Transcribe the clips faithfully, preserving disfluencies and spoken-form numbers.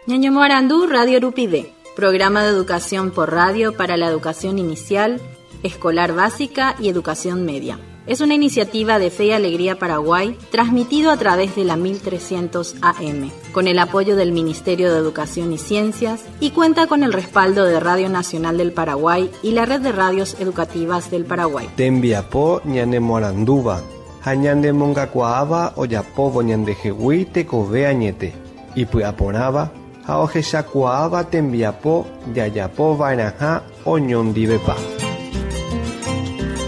Ñañomoarandu Radio Rupive, programa de educación por radio para la educación inicial, escolar básica y educación media. Es una iniciativa de Fe y Alegría Paraguay, transmitido a través de la mil trescientos A M, con el apoyo del Ministerio de Educación y Ciencias, y cuenta con el respaldo de Radio Nacional del Paraguay y la Red de Radios Educativas del Paraguay. Tembiapo ñanemoarandúva, ha ñanemongakuaáva ojapóvo ñandehegui tekove añete, ipy'aporãva ha ohechakuaáva tembiapo jajapova'erãha oñondivepa.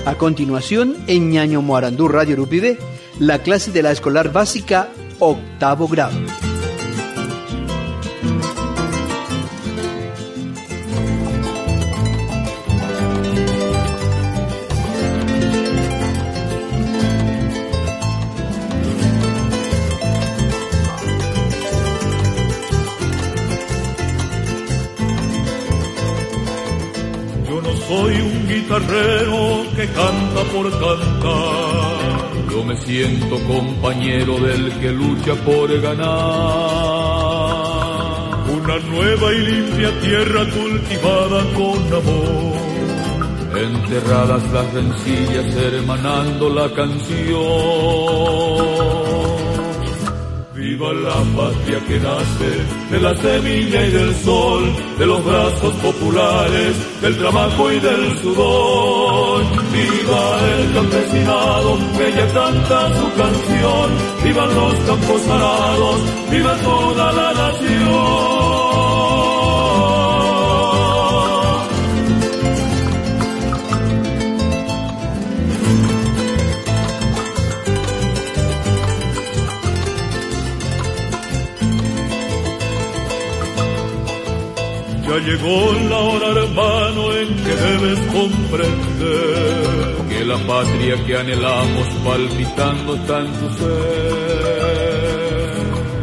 A continuación, en Ñañomoarandú Radio Rupive, la clase de la escolar básica, octavo grado. Yo no soy un guitarrero que canta por cantar. Yo me siento compañero del que lucha por ganar. Una nueva y limpia tierra cultivada con amor. Enterradas las rencillas, hermanando la canción. Viva la patria que nace de la semilla y del sol, de los brazos populares, del trabajo y del sudor. Viva el campesinado que ya canta su canción, vivan los campos arados, viva toda la nación. Ya llegó la hora, hermano, en que debes comprender que la patria que anhelamos palpitando está en tu ser.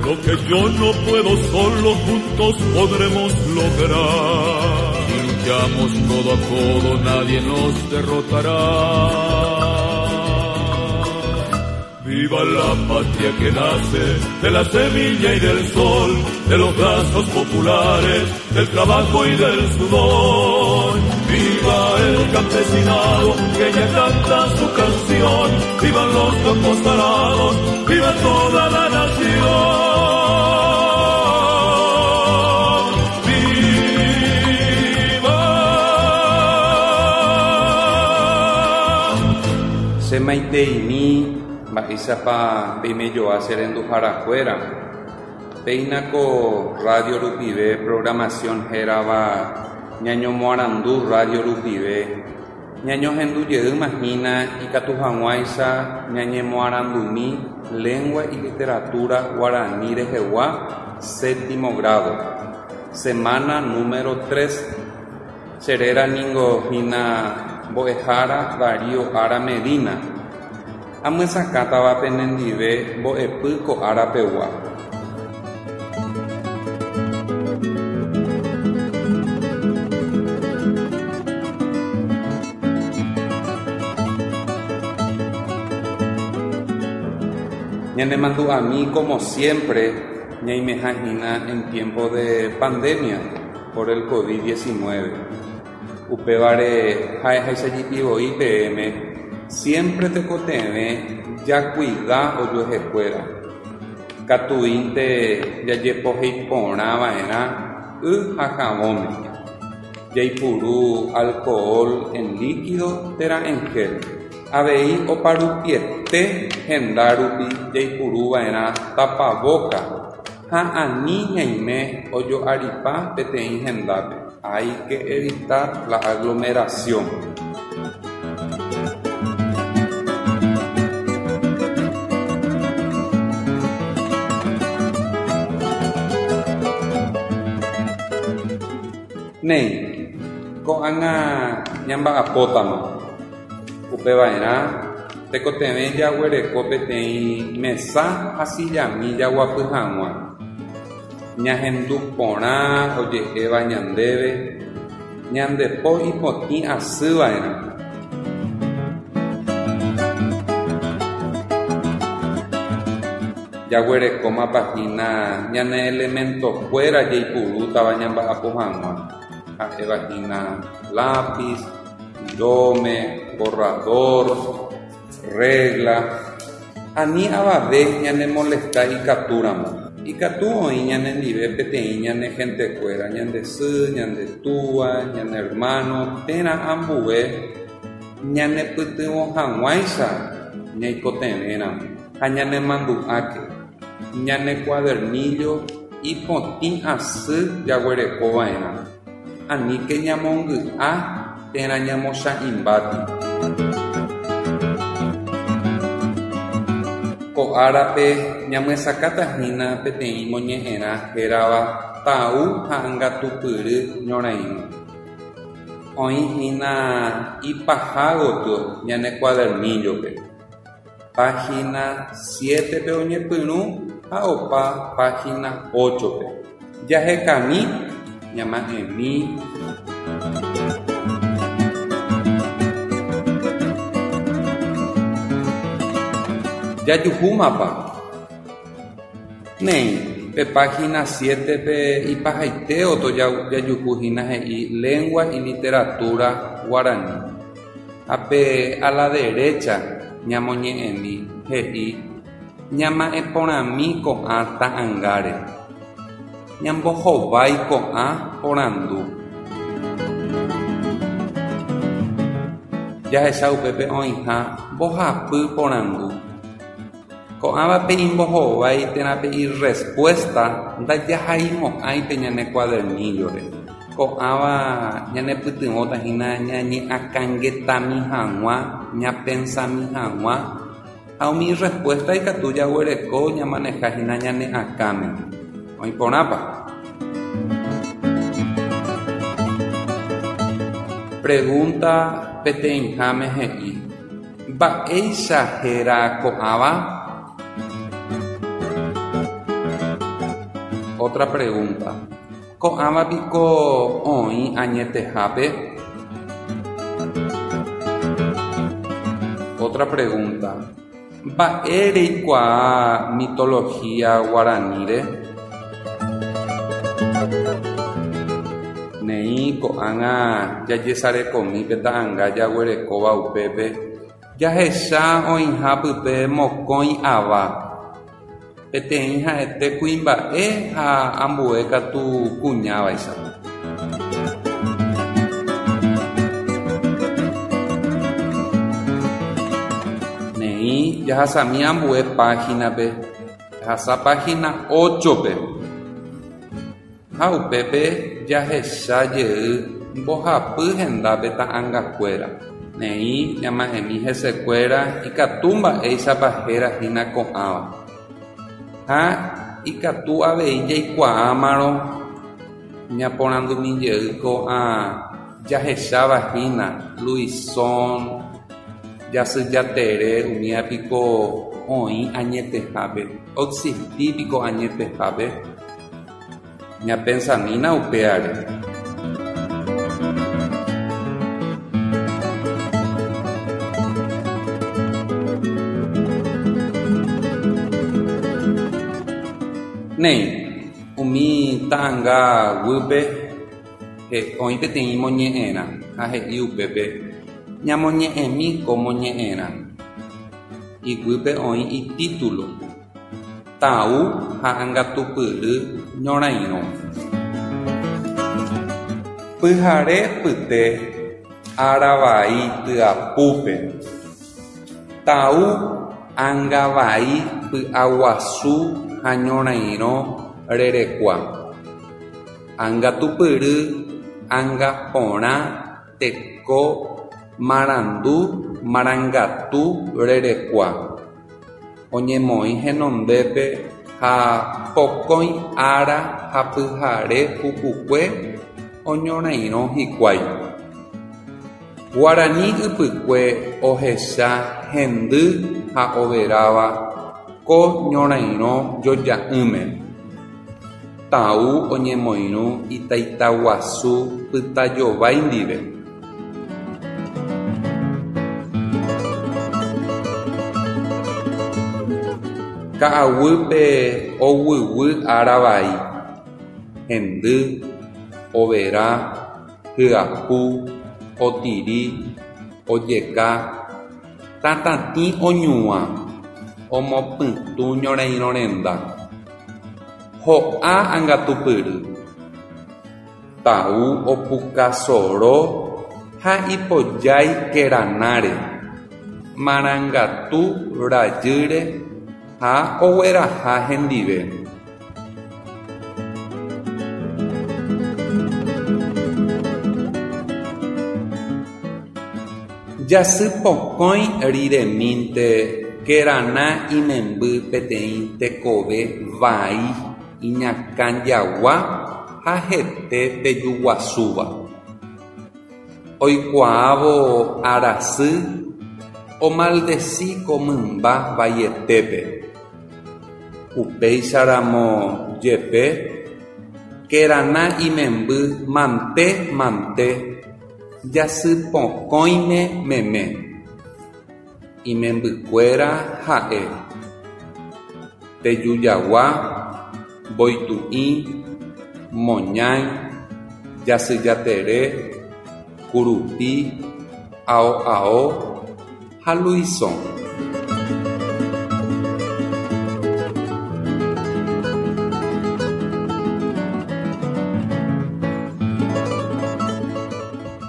Lo que yo no puedo solo, juntos podremos lograr. Si luchamos codo a codo, nadie nos derrotará. Viva la patria que nace de la semilla y del sol, de los brazos populares, del trabajo y del sudor. Viva el campesinado que ya canta su canción, vivan los campos arados, viva toda la nación. ¡Viva! Semaiteimi mba'éichapa peimejoa cherenduharakuéra. Péinako Radio Rupive programación hérava Ñañomoarandu Radio Rupive. Ñañohendujey hína ikatu hag̃uáicha ñañemoarandumi lengua y literatura guaraní rehegua séptimo grado. Semana número tres. Cheréra ningo hína mbo'ehára Darío Ara Medina. Amyesakãtava penendive mbo'epy ko árapegua. Ñanemandu'ami como siempre ñaimeha hína en tiempo de pandemia por el COVID diecinueve. Upévare ha'eháicha P M siempre tekotevẽ jakuida ojuehekuéra. Katuínte jajepoheiporãva'erã y ha javõme. Jaipuru alcohol en líquido térã en gel. Avei oparupiete hendárupi jaipuruva'erã tapaboca ha ani ñaime ojo'aripa peteĩ hendápe. Hay que evitar la aglomeración. Néi, ko'ág̃a ñamba'apótama. Upeva'erã tekotevẽ jaguereko peteĩ mesa ha sillami jaguapy hag̃ua. Ñahendu porã oje'éva ñandéve, ñandepo ipotĩ asýva'erã. Jaguerekómapa hína ñane elementokuéra jaipurútava ñamba'apo hag̃ua. Ha'éva hína lápiz, virome, borrador, regla. Ani avave ñanemolesta ikatúramo. Ikatu oĩ ñanendive peteĩ ñane gentekuéra, ñande sy, ñande túa, ñane hermano térã ambue ñanepytyvõ hag̃uáicha ñaikotevẽramo ha ñanemandu'áke. Ñane cuadernillo ipotĩ asy jaguerekova'erã. Aníke ñamongy'a térã ñamocha'ĩmbáti. Ko árape ñamyesakãtahína peteĩ moñe'ẽrã hérava Tau ha Angatupyry ñorairõ. Oĩhína ipaha gotyo ñane cuadernillo-pe. Página siete-pe oñepyrũ ha opa página ocho-pe. Jahekami ñama'ẽmi. Jajuhúmapa. Néi, pe página siete-pe ipahaite oto jajuhúhína he'i Lengua y Literatura Guaraní. Ha pe a la derecha ñamoñe'ẽmi he'i ñama'ẽporãmi ko'ã ta'ãngáre. Ñambohovái ko'ã porandu. Jahecha upépe oĩha mbohapy porandu. Ko'ãvape imbohovái térã pe irespuesta ndajahaimo'ãi pe ñane cuadernillo-re. Ko'ãva ñanepytyvõtahína ñañe'akãngetami hag̃ua, ñapensami hag̃ua ha umi respuesta ikatu jaguereko ñamanejahína ñane akãme. Oĩporãpa. Pregunta peteĩháme he'i Mba'éicha héra ko'ãva? Otra pregunta. Ko'ãva piko oĩ añetehápe? Otra pregunta. Mba'e reikuaa mitología guaraníre? Néi ko'ág̃a jajesarekomi pe ta'ãnga jaguerekóva upépe jahecha oĩha pype mokõi ava. Peteĩ ha'ete kuimba'e ha ambue katu kuñávaicha. Néi jahasami ambue página-pe. Jahasa página ocho-pe. Ha upépe jahecha jey mbohapy hendápe ta'ãngakuéra. Néi ñama'ẽmi hesekuéra ikatu mba'éichapa hérahína ko'ãva. Ha ikatu avei jaikuaámarõ ñaporandumi jey ko'ã jahechávahína Luisón, Jasyjatere umíva piko oĩ añetehápe, oexistipiko añetehápe. Ñapensamína upévare. Néi, umi ta'ãnga guýpe oĩ peteĩ moñe'ẽrã ha he'i upépe ñamoñe'ẽmi ko moñe'ẽrã. Iguýpe oĩ itítulo Tau ha Angatupyry ñorairõ. Pyhare pyte ára vai tyapúpe. Tau angavai py'aguasu ha ñorairõ rerekua. Angatupyry anga porã teko marandu marangatu rerekua. Oñemoĩ henondépe ha pokõi ára ha pyhare pukukue oñorairõ hikuái. Guarani ypykue ohecha hendy ha overáva ko ñorairõ joja'ỹme. Tau oñemoirũ itaitaguasu Pytajovái ndive. Ka'aguýpe oguyguy ára vai. Hendy, overa, hyapu, otiri, ojeka, tatatĩ oñuã, omopytũ ñorairõ renda. Ho'a Angatupyry. Tau opukasoro ha ipojái Keranáre, Marangatu rajýre ha ogueraha hendive. Jasypokõi riremínte Kerana imemby peteĩ tekove vai iñakãjagua ha hete tejuguasúva. Oikuaávo Arasy omaldeci ko mymba vaietépe. Upéicharamo jepe Kerana imemby mante mante jasypokõime meme. Imembykuéra ha'e: Tejujagua, Mboitu'i, Moñái, Jasyjatere, Kurupi, Ao'ao ha Luisõ.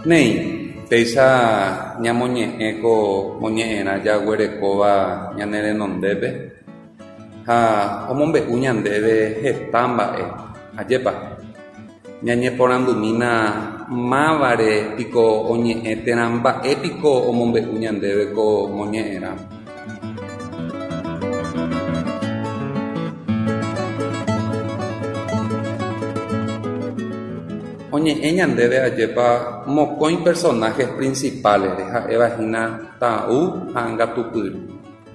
Néi, péicha ñamoñe'ẽ ko moñe'ẽrã jaguerekóva ñane renondépe ha omombe'u ñandéve heta mba'e. Ajépa, ñañeporandumína mávare piko oñe'ẽ térã mba'e piko omombe'u ñandéve ko moñe'ẽrã. Oñe'ẽ ñandéve ajépa mokõi personajes principales ha'éva hína Tau ha Angatupyry.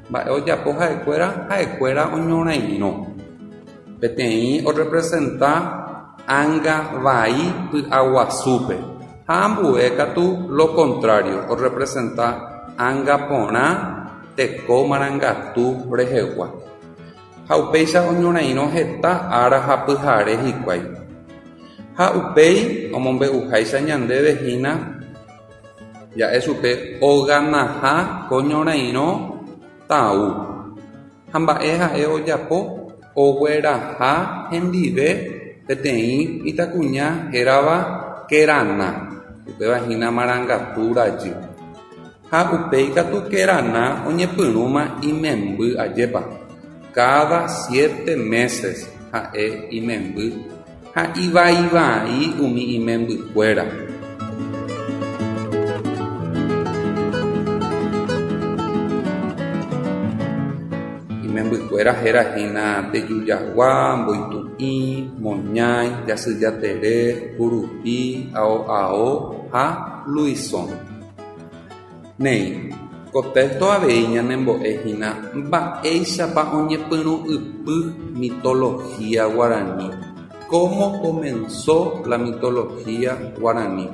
Mba'e ojapo ha'ekuéra ha'ekuéra oñorairõ. Peteĩ orepresenta ánga vai py'aguasúpe ha ambue katu lo contrario orepresenta ánga porã teko marangatu rehegua. Ha upéicha oñorairõ heta ára ha pyhare hikuái. Ha upéi omombe'uháicha ñandéve hína ja'e chupe oganaha ko ñorairõ Tau. Ha mba'e ha'e ojapo ogueraha hendive peteĩ mitãkuña hérava Kerana, upéva hína Marangatu rajy. Ha upéi katu Kerana oñepyrũma imemby ajépa. Cada siete meses ha'e imemby ha ivaivai umi imembykuéra. Imembykuéra héra hína Tejujagua, Mboitu'i, Moñái, Jasyjatere, Kurupi, Ao'ao ha Luisõ. Néi, ko texto avei ñanembo'e hína mba'éichapa oñepyrũ'ypy mitología guarani. Cómo comenzó la mitología guaraní.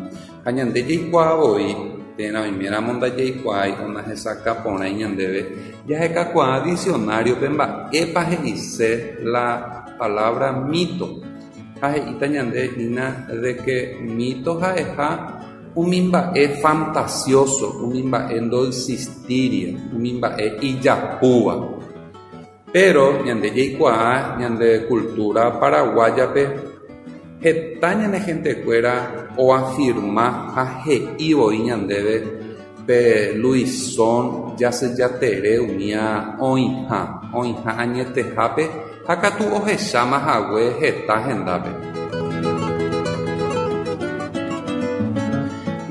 Ha ñande jaikuaa voi térã oiméramo ndajaikuaái onahesakãporãi ñandéve jahekakuaa diccionario-pe mba'épa he'ise la palabra mito. Ha he'íta ñande hína de que mito ha'eha umi mba'e fantasioso, umi mba'e ndoexistíria, umi mba'e ijapúva. Pero ñande jaikuaa ñande cultura paraguayape heta ñane gentekuéra oafirma ha he'i voi ñandéve pe Luisõ Jasyjatere umía oĩha, oĩha añetehápe ha katu ohecháma hague heta hendápe.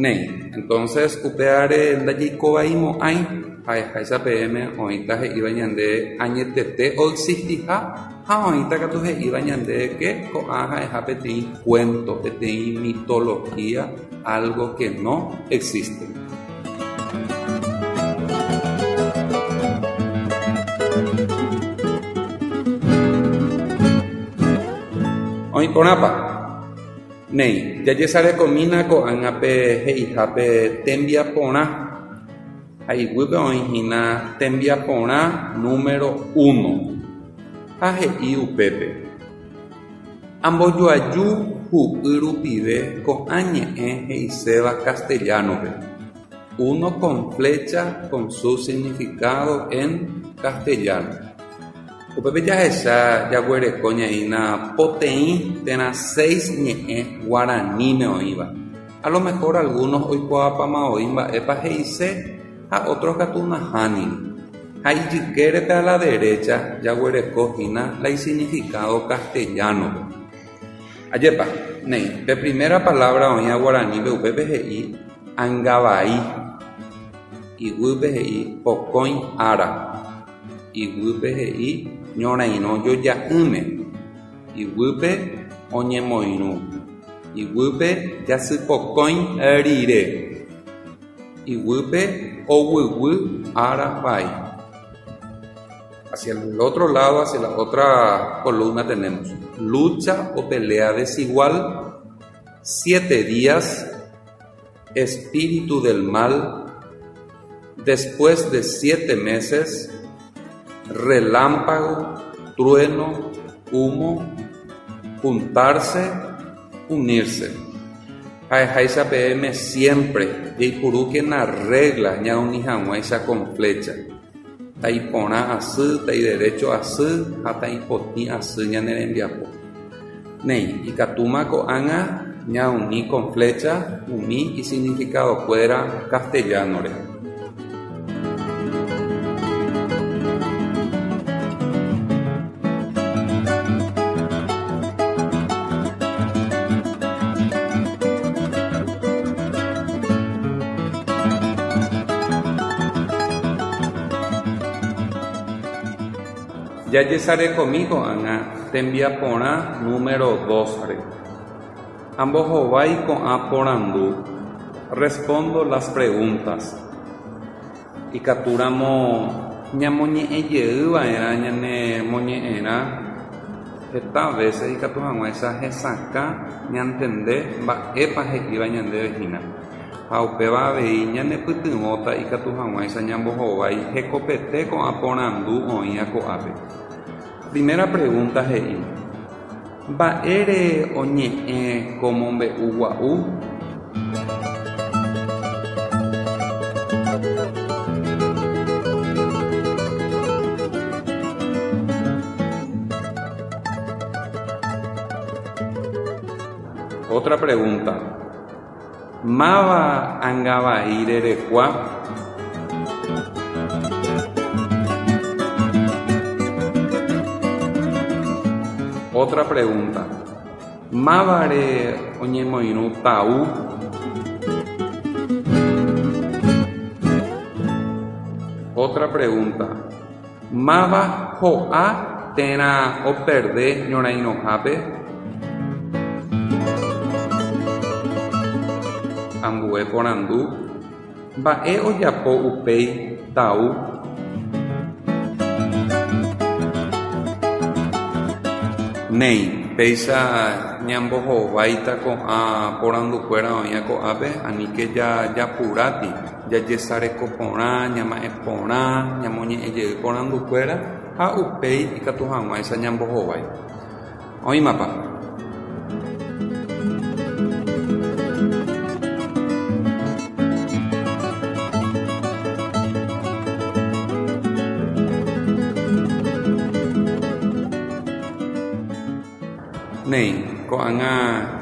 Néi, entonces upéare ndajaikovaimo'ãi ha'eháicha peẽme oĩta he'íva ñande añetete oexistiha ha oĩta katu he'íva ñande que ko'ã ha'eha peteĩ cuento, peteĩ mitología, algo que no existe. Oĩ porãpa. Néi, jajesarekomína ko'ág̃a pe he'ihápe tembiaporã. Ha iguýpe oĩ hína tembiaporã número uno. Ha he'i upépe. Ambojoaju hu'y rupive ko'ã ñe'ẽ he'iséva castellano-pe. Uno con flecha con su significado en castellano. Upépe jahecha jaguereko ñaína poteĩ térã seis ñe'ẽ guaraníme oĩva. A lo mejor algunos oikuaápama oĩ mba'épa he'ise ha otros katu nahániri. Ha ijykérepe a la derecha jaguereko hína la isignificado castellano-pe. Ajépa, néi, pe primera palabra oĩva guaranípe upépe he'i angavai, iguýpe he'i pokõi ára, iguýpe he'i ñorairõ joja'ỹme, iguýpe oñemoirũ, iguýpe jasypokõi rire, iguýpe oguyguy ára vai. Hacia el otro lado, hacia la otra columna tenemos lucha o pelea desigual, siete días, espíritu del mal, después de siete meses, relámpago, trueno, humo, juntarse, unirse. Ha'eháicha peẽme siempre jaipurúkena regla ñauni hag̃uáicha con flecha. Ta'iporã asy, ta'iderecho asy ha ta'ipotĩ asy ñane rembiapo. Néi, ikatúma ko'ág̃a ñauni con flecha umi isignificadokuéra castellano-re. Jajesarekomi ko'ág̃a tembiaporã número dos-re. Ambohovái ko'ã porandu. Respondo las preguntas. Ikatúramo ñamoñe'ẽjeyva'erã ñane moñe'ẽrã heta veces ikatu hag̃uáicha hesakã ñantende mba'épa he'íva ñandéve hína. Ha upéva avei ñanepytyvõta ikatu hag̃uáicha ñambohovái hekopete ko'ã porandu oĩva ko'ápe. Primera pregunta he'i: Mba'ére oñe'ẽ ko mombe'ugua'u? Otra pregunta: Máva angavai rerekua? Otra pregunta: Mávare oñemoirũ Tau? Otra pregunta: Máva ho'a térã operde ñorairõhápe? Ambue porandu: Mba'e ojapo upéi Tau? Néi, péicha ñambohováita ko'ã porandukuéra oĩva ko'ápe aníke jajapuráti, jajesareko porã, ñama'ẽ porã, ñamoñe'ẽjey porandukuéra ha upéi ikatu hag̃uáicha ñambohovái. Oĩmapa? Néi, ko'ág̃a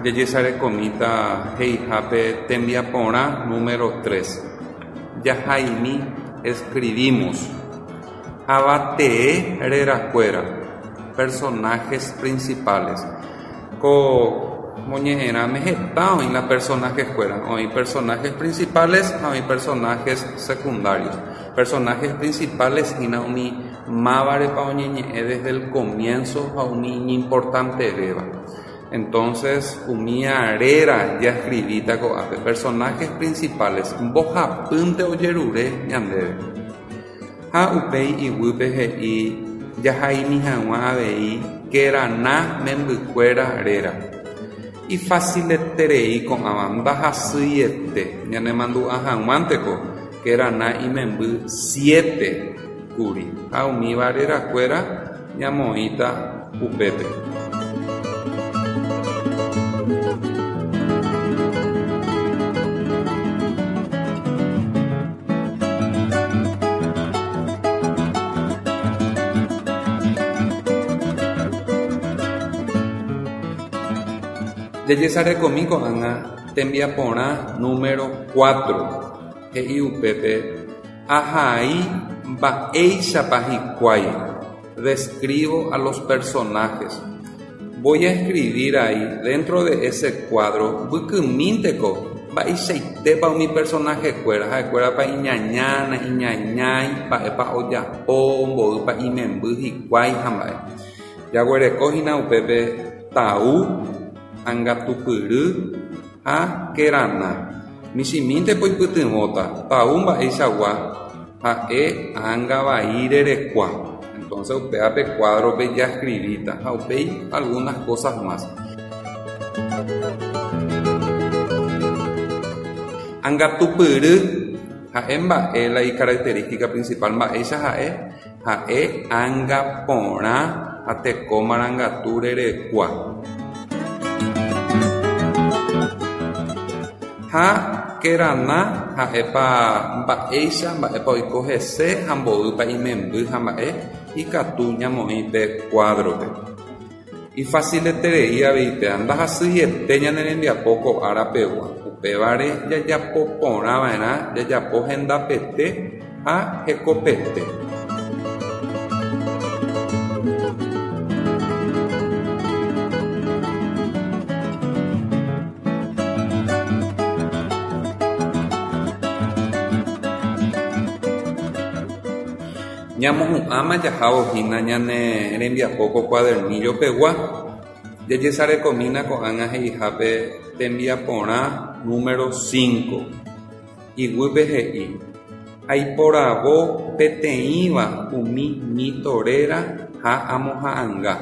jajesarekomíta he'ihápe tembiaporã número tres. Jahaimi escribimos. Avatee rerakuéra. Personajes principales. Ko moñe'ẽrãme heta oĩ la personajes-kuéra. Oĩ personajes principales ha oĩ personajes secundarios. Personajes principales hína umi mávarepa oñeñe'ẽ desde el comienzo ha umi iñimportantevéva. Entonces, umi réra jaescribíta ko'ápe. Personajes principales. Mbohapýnte ojerure ñandéve. Ha upéi iguýpe he'i jahaimi hag̃ua avei Kerana membykuéra réra. Ifacileterei ko'ãva ndahasyiete ñanemandu'a hag̃uánteko Kerana imemby siete kuri ha umíva rerakuéra ñamoĩta upépe. Jajesarekomi ko'ág̃a tembiaporã número cuatro. He'i upépe ahai mba'éichapa hikuái. Describo a los personajes. Voy a escribir ahí dentro de ese cuadro mbykymínteko mba'eichaitépa umi personaje-kuéra ha'ekuérapa iñañána, iñañái, mba'épa ojapo, mboýpa imemby hikuái ha mba'e. Jaguerekohína upépe Tau, Angatupyry ha Kerana. Michĩmíntepo ipytyvõta. Tau mba'eichagua ha'e ãngavai rerekua. Entonces upévape cuadro-pe jascribíta ha upéi algunas cosas más. Angatupyry ha'e mba'e la icaracterística principal mba'éicha ha'e ha'e ãnga porã ha teko marangatu rerekua. Ha Kerana ha'épa mba'éicha mba'épa oiko hese ha mboýpa imemby ha mba'e ikatu ñamoĩ pe cuadro-pe. Ifacileterei avei péva ndahasyiete ñane rembiapo ko árapegua. Upévare jajapo porãva'erã jajapo hendapete ha hekopete. Ñamohu'ãma jahávo hína ñane rembiapo ko cuadernillo-pegua. Jajesarekomína ko'ág̃a he'ihápe tembiaporã número cinco. Iguýpe he'i aiporavo peteĩva umi mito réra ha amoha'ãnga.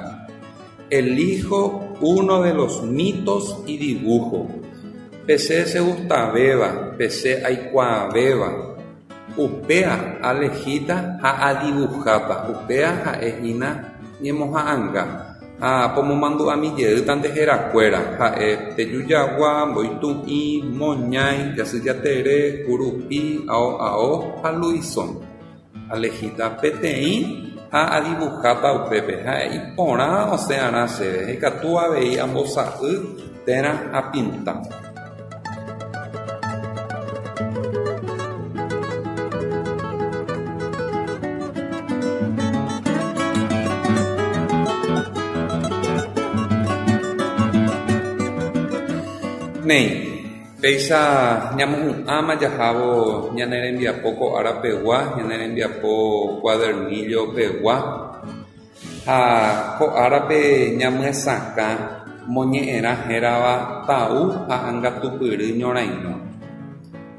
Elijo uno de los mitos y dibujo. Pe che chegustavéva, pe che aikuaavéva. Upéa alehíta ha adibuháta. Upéa ha'ehína ñemoha'ãnga. Ha pomomandu'amijey herakuéra. Ha'e Tejujagua, Mboitu'i, Moñái, Jasyjatere, Kurupi, Ao Ao ha Luisón. Alehíta peteĩ ha adibuháta upépe. Ha'e iporã osẽ'arã chéve. Ikatu avei ambosa'y térã apinta. Néi, péicha ñamohu'ãma jahávo ñane rembiapo ko árapegua, ñane rembiapo cuadernillo-pegua ha ko árape ñamyesakã moñe'ẽrã hérava Tau ha Angatupyry ñorairõ.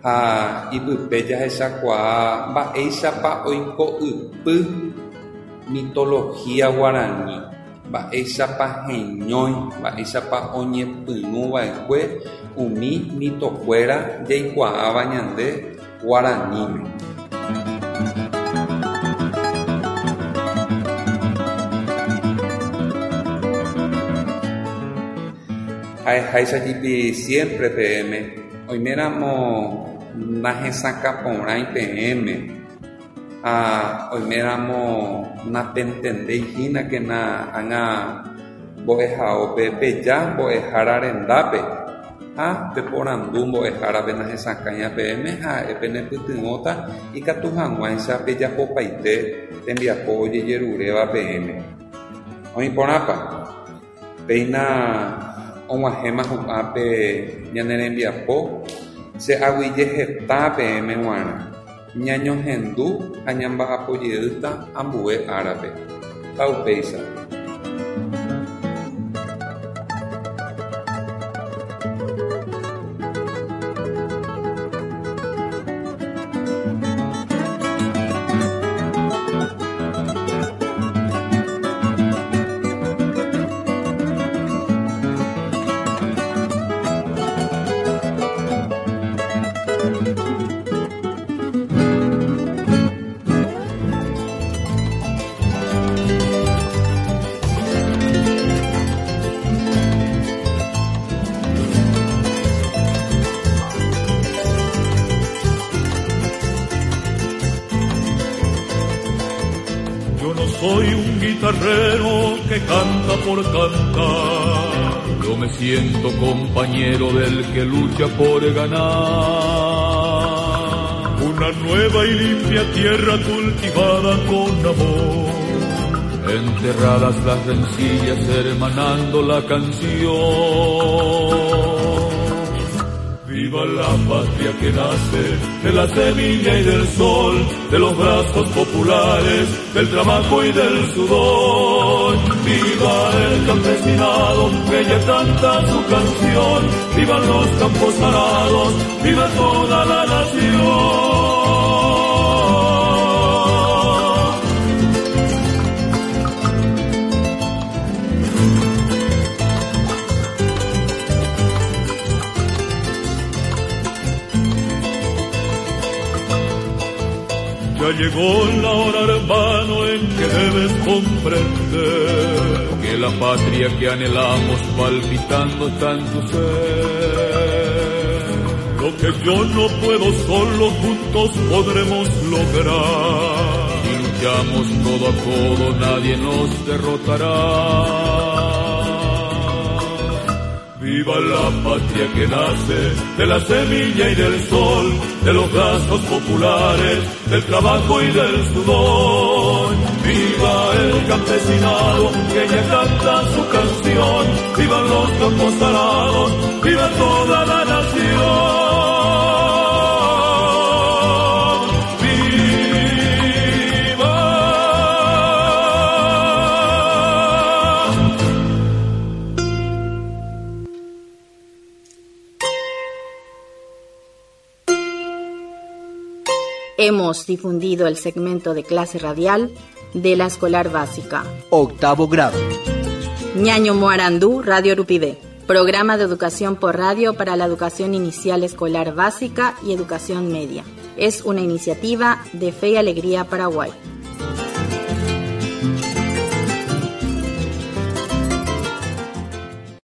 Ha ipype jahechakuaa mba'éichapa oiko ypy mitología guarani, mba'éichapa heñói, mba'éichapa oñepyrũva'ekue umi mitokuéra jaikuaáva ñande guaraníme. Ha'eháicha siempre peẽme oiméramo nahesakãporãi peẽme ha oiméramo napentendeihínakena ág̃a mbo'ehaópe peja mbo'ehára rendápe ha peporandu mbo'ehárape nahesakãiva peẽme ha'e penepytyvõta ikatu hag̃uáicha pejapopaite tembiapo ojejeruréva peẽme. Oĩporãpa? Péina og̃uahẽma hu'ápe ñane rembiapo che aguyje heta peẽme g̃uarã. Ñañohendu ha ñamba'apojeýta ambue árape. Taupéicha. soy un guitarrero que canta por cantar. Yo me siento compañero del que lucha por ganar. Una nueva y limpia tierra cultivada con amor. Enterradas las rencillas, hermanando la canción. Viva la patria que nace de la semilla y del sol, de los brazos populares, del trabajo y del sudor. Viva el campesinado que ya canta su canción, vivan los campos arados, viva toda la nación. Ya llegó la hora, hermano, en que debes comprender que la patria que anhelamos palpitando está en tu ser. Lo que yo no puedo solo, juntos podremos lograr. Si luchamos codo a codo, nadie nos derrotará. Viva la patria que nace de la semilla y del sol, de los brazos populares, del trabajo y del sudor. Viva el campesinado que ya canta su canción, vivan los campos arados, viva toda la nación. ¡Viva! Hemos difundido el segmento de clase radial de la escolar básica. Octavo grado. Ñaño Moarandú, Radio Rupivé. Programa de educación por radio para la educación inicial escolar básica y educación media. Es una iniciativa de Fe y Alegría Paraguay.